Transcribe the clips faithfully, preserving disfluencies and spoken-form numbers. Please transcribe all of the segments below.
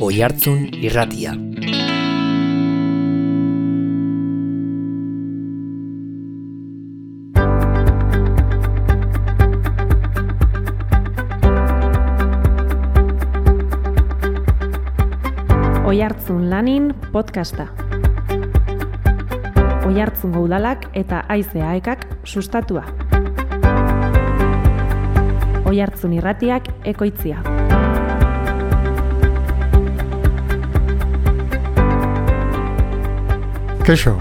Oihartzun Irratia. Oihartzun Lanin podcasta. Oihartzungo udalak eta Haize Aekak sustatua. Oihartzun Irratiak ekoitzia. Keixo,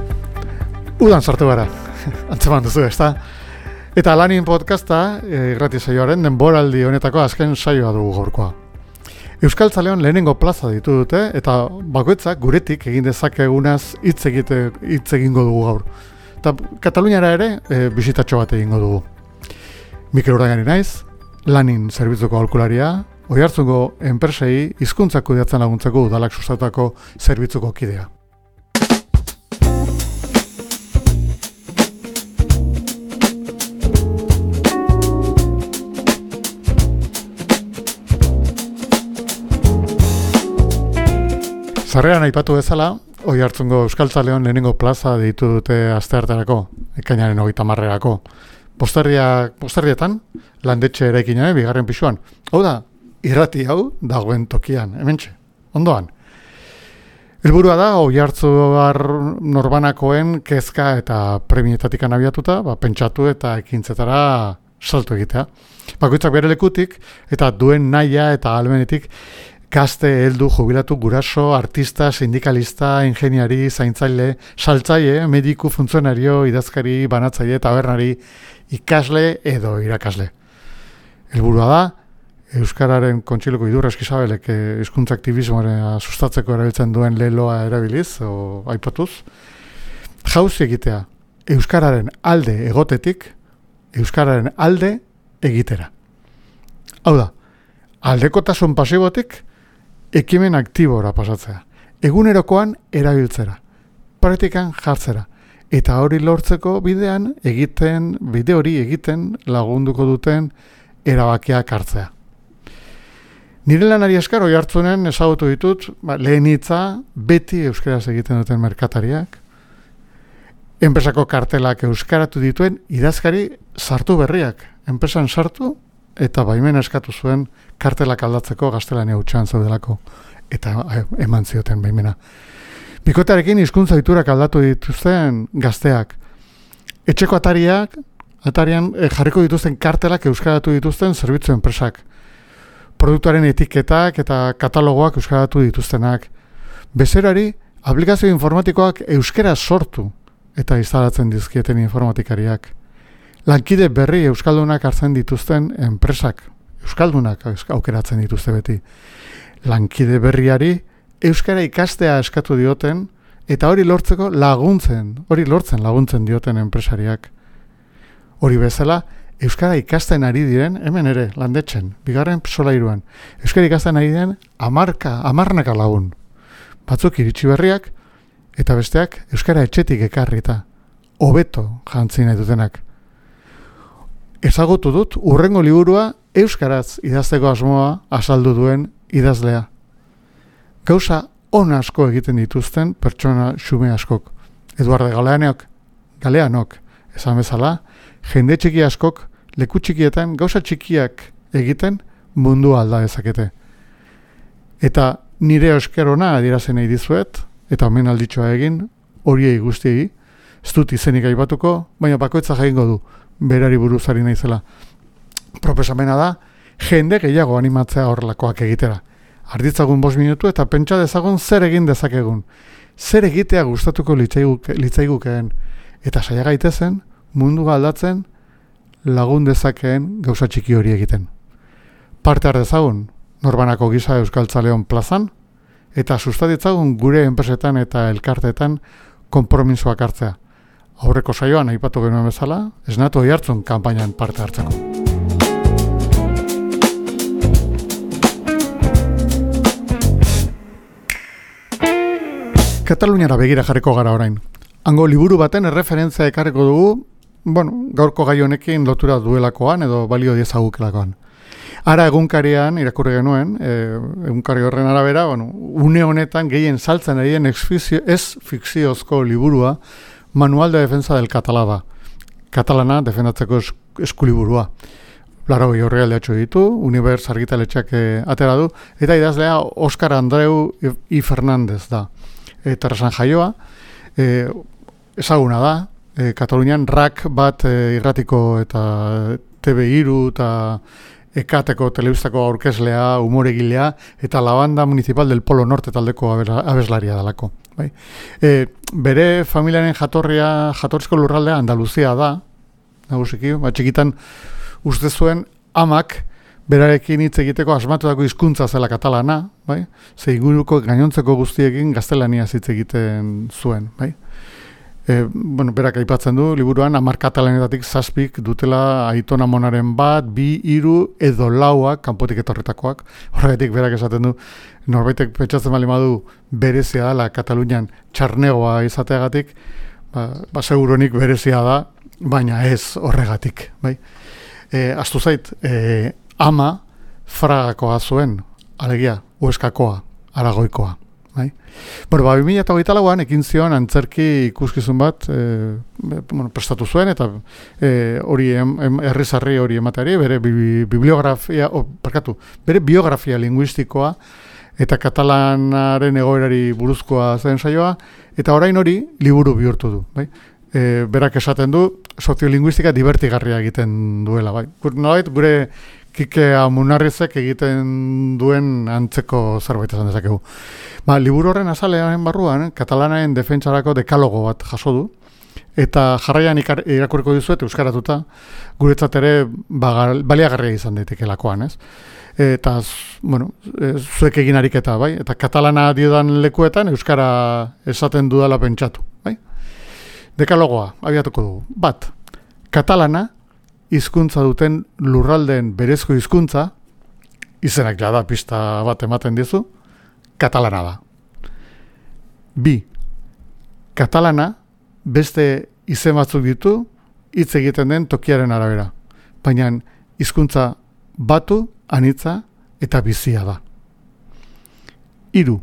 udan sartu gara, antzeman duzu, ezta? Eta Lanin podcasta, irrati saioaren denboraldi honetako azken saioa dugu gaurkoa. Euskaltzaleon lehenengo plaza ditu dute, eta bakoitzak guretik egin dezakegunaz hitz egite hitz egingo dugu gaur. Eta Kataluniara ere e, bisitatxo bat egingo dugu. Mikel Urdaigani naiz, Lanin zerbitzuko aholkularia, Oihartzungo enpresei hizkuntzak kudeatzen laguntzeko udalak sustatutako zerbitzuko kidea. Zarrean aipatu bezala, Oihartzungo Euskaltzaleon lehenengo plaza deitu dute astearterako, ekainaren hogeita hamarrerako. Posterria, posterrietan, landetxe eraikinaren bigarren pisuan. Hau da, irrati hau dagoen tokian, hementxe, ondoan. Helburua da, Oihartzuar norbanakoen kezka eta premietatik abiatuta, ba, pentsatu eta ekintzetara salto egitea. Bakoitzak bere lekutik eta duen nahia eta ahalmenetik gazte, heldu, jubilatu, guraso, artista, sindikalista, ingeniari, zaintzaile, saltzaile, mediku, funtzionario, idazkari, banatzaile, tabernari, ikasle edo irakasle. Helburua da, Euskararen Kontseiluko Idurra Eskizabelek hizkuntza aktivismoa sustatzeko erabiltzen duen leloa erabiliz, o aipatuz, jauzi egitea, Euskararen alde egotetik, Euskararen alde egitera. Hau da, aldekotasun pasibotik, ekimen aktibora pasatzea, egunerokoan erabiltzera, praktikan jartzera, eta hori lortzeko bidean egiten, bide hori egiten lagunduko duten erabakiak hartzea. Nire lanari esker Oihartzunen ezagutu ditut, ba, lehen hitza beti euskaraz egiten duten merkatariak, enpresako kartelak euskaratu dituen idazkari sartu berriak, enpresan sartu, eta baimena eskatu zuen kartelak aldatzeko gaztelania hutsean zaudelako, eta eman zioten baimena. Bikotearekin hizkuntza ohiturak aldatu dituzten gazteak. Etxeko atariak, atarian eh, jarriko dituzten kartelak euskaratu dituzten zerbitzu enpresak. Produktuaren etiketak eta katalogoak euskaratu dituztenak. Bezerari, aplikazio informatikoak euskara sortu eta instalatzen dizkieten informatikariak. Lankide berri euskaldunak hartzen dituzten enpresak, euskaldunak aukeratzen dituzte beti. Lankide berriari euskara ikastea eskatu dioten eta hori lortzeko laguntzen, hori lortzen laguntzen dioten enpresariak. Hori bezala, euskara ikasten ari diren, hemen ere, landetxen, bigarren solairuan, euskara ikasten ari diren amarka, amarnaka lagun. Batzuk iritsi berriak eta besteak euskara etxetik ekarrita, hobeto jantzi nahi dutenak. Ezagutu dut hurrengo liburua euskaraz idazteko asmoa azaldu duen idazlea. Gauza on asko egiten dituzten pertsona xume askok. Eduardo Galeanok, Galeanok, esan bezala, jende txiki askok leku txikietan gauza txikiak egiten mundu alda dezakete. Eta nire euskerona adierazen nahi dizuet, eta omen alditxoa egin, horiei guztiei, ez dut izenik aipatuko, baina bakoitza jaingo du. Berari buruzari naizela. Proposamena da, jende gehiago animatzea horrelakoak egitera. Arditzagun bost minutu eta pentsa dezagun zer egin dezakegun. Zer egitea gustatuko litzaigukeen. Eta saia gaitezen, mundu aldatzen lagun dezakeen gauza txiki hori egiten. Parte har dezagun, norbanako gisa Euskaltzaleon plazan, eta sustatitzagun gure enpresetan eta elkarteetan konpromisoak hartzea. Aurreko saioan aipatu genuen bezala, esnatu Oihartzun kanpainan parte hartzeko. Kataluniara begira jarriko gara orain. Hango liburu baten erreferentzia ekarriko dugu, bueno, gaurko gai honekin lotura duelakoan edo balio diezagukelakoan. Ara egunkarian irakurri genuen, e, egunkari horren arabera, bueno, une honetan gehien saltzen arien ez fikziozko liburua Manual de Defensa del Català da. Katalana defendatzeko eskuliburua. Laro gehi horri aldeatxo ditu, Univers argitaletxeak e, atera du, eta idazlea Óscar Andreu I. Fernández da. Eta Terrasan jaioa, e, ezaguna da, e, Katalunian rak bat e, irratiko eta T V hiru eta Ekateko telebistako aurkezlea, umoregilea, eta la banda municipal del Polo Norte taldeko abeslaria dalako. Bai. E, bere familiaren jatorria, jatorrizko lurraldea Andaluzia da, nagusiki, ba, txikitan uste zuen amak berarekin hitz egiteko asmatutako hizkuntza zela katalana, bai? Ze inguruko gainontzeko guztiekin gaztelaniaz hitz egiten zuen, bai? E, bueno, berak aipatzen du, liburuan, hamar katalanetatik zazpik dutela aiton amonaren bat, bi, hiru edo lauak, kanpotik etorretakoak. Horregatik berak esaten du, norbaitek pentsatzen bali madu berezia dela Katalunian txarnegoa izateagatik, ba, ba seguronik berezia da, baina ez horregatik, bai? E, Aztu zait, e, ama Fragakoa zuen, alegia, Hueskakoa, Aragoikoa. Bai? Bueno, ba, bi mila hogeita lauan ekin zion antzerki ikuskizun bat e, bueno, prestatu zuen, eta e, hori em, em, herrizarri hori emateari, bere bi, bibliografia, o, parkatu, bere biografia linguistikoa, eta katalanaren egoerari buruzkoa zen saioa, eta orain hori liburu bihurtu du. Bai? E, berak esaten du, soziolinguistika divertigarria egiten duela. Bai? Nolait, gure Kike Amunarrizek egiten duen antzeko zerbait esan dezakegu. Ba, liburu horren azalean barruan, katalanaren defentsarako dekalogo bat jaso du, eta jarraian irakurriko dizuet euskaratuta, guretzat ere ba, baliagarria izan daitekeelakoan, ez? Eta, bueno, zuek egin ariketa, bai? Eta katalana diodan lekuetan euskara esaten dudala pentsatu, bai? Dekalogoa, abiatuko dugu. Bat, katalana hizkuntza duten lurraldeen berezko hizkuntza, izenak jada pista bat ematen dizu, katalana da. Bi, katalana beste izen batzuk ditu hitz egiten den tokiaren arabera, baina hizkuntza batu, anitza eta bizia da. Hiru,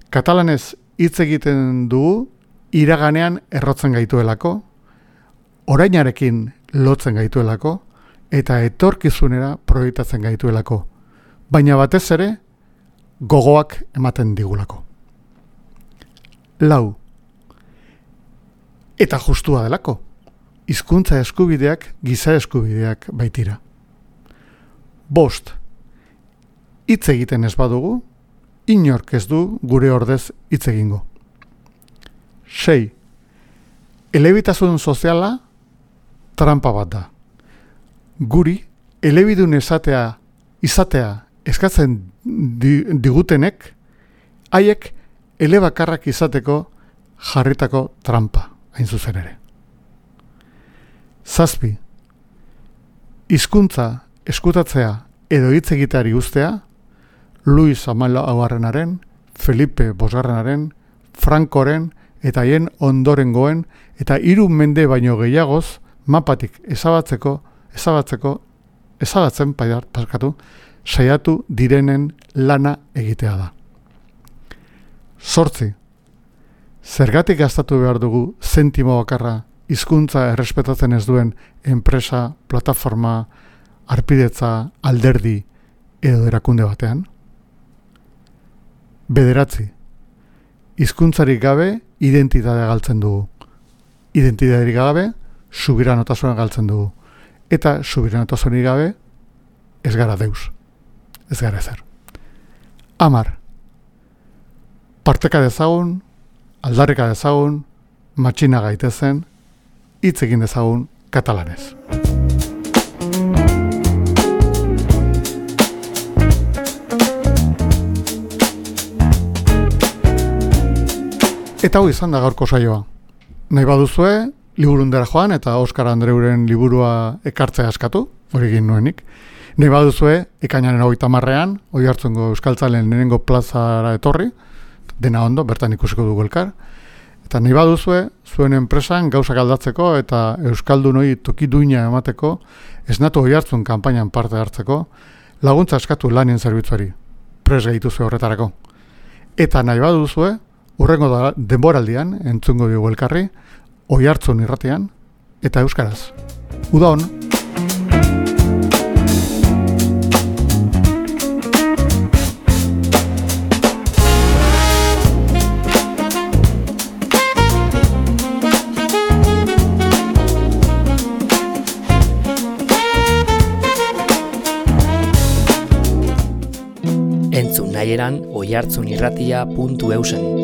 katalanez hitz egiten dugu iraganean errotzen gaituelako, orainarekin lotzen gaituelako, eta etorkizunera proiektatzen gaituelako, baina batez ere gogoak ematen digulako. Lau, eta justua delako, hizkuntza eskubideak giza eskubideak baitira. Bost, hitz egiten ez badugu, inork ez du gure ordez hitz egingo. Sei, elebitasun soziala trampa bat da. Guri, elebidun esatea, izatea eskatzen digutenek, haiek elebakarrak izateko jarritako trampa, hain zuzen ere. Zazpi, hizkuntza eskutatzea edo hitz egiteari uztea, Luis Hamalaugarrenaren, Felipe Bosgarrenaren, Frankoren eta haien ondorengoen eta hiru mende baino gehiagoz mapatik ezabatzeko, ezabatzeko, ezabatzen paskatu, saiatu direnen lana egitea da. Zortzi, zergatik gastatu behar dugu zentimo bakarra hizkuntza errespetatzen ez duen enpresa, plataforma, arpidetza, alderdi edo erakunde batean? Bederatzi, hizkuntzarik gabe identitatea galtzen dugu. Identitaterik gabe subiranotasuna galtzen dugu. Eta subiranotasunik gabe ez gara deus. Ez gara ezer. Amar. Parteka dezagun, aldarrika dezagun, matxina gaitezen, hitz egin dezagun katalanez. Eta hau izan da gaurko saioa. Nahi baduzue, liburundera joan eta Óscar Andreuren liburua ekartzea askatu, hori egin nuenik. Nahi baduzue, ekainaren hogeita hamarrean, Oiartzungo Euskaltzalen lehenengo plazara etorri, dena ondo, bertan ikusiko dugu elkar. Eta nahi baduzue, zuen enpresan gauzak aldatzeko eta Euskaldunoi toki duina emateko, esnatu Oiartzun kanpainan parte hartzeko, laguntza eskatu lanien zerbitzuari. Pres gehituzue horretarako. Eta nahi baduzue, urrengo da denboraldian, entzungo dugu elkarri, Oihartzun irratian, eta euskaraz. Uda hon! Entzun nahieran oihartzunirratia puntu eusen.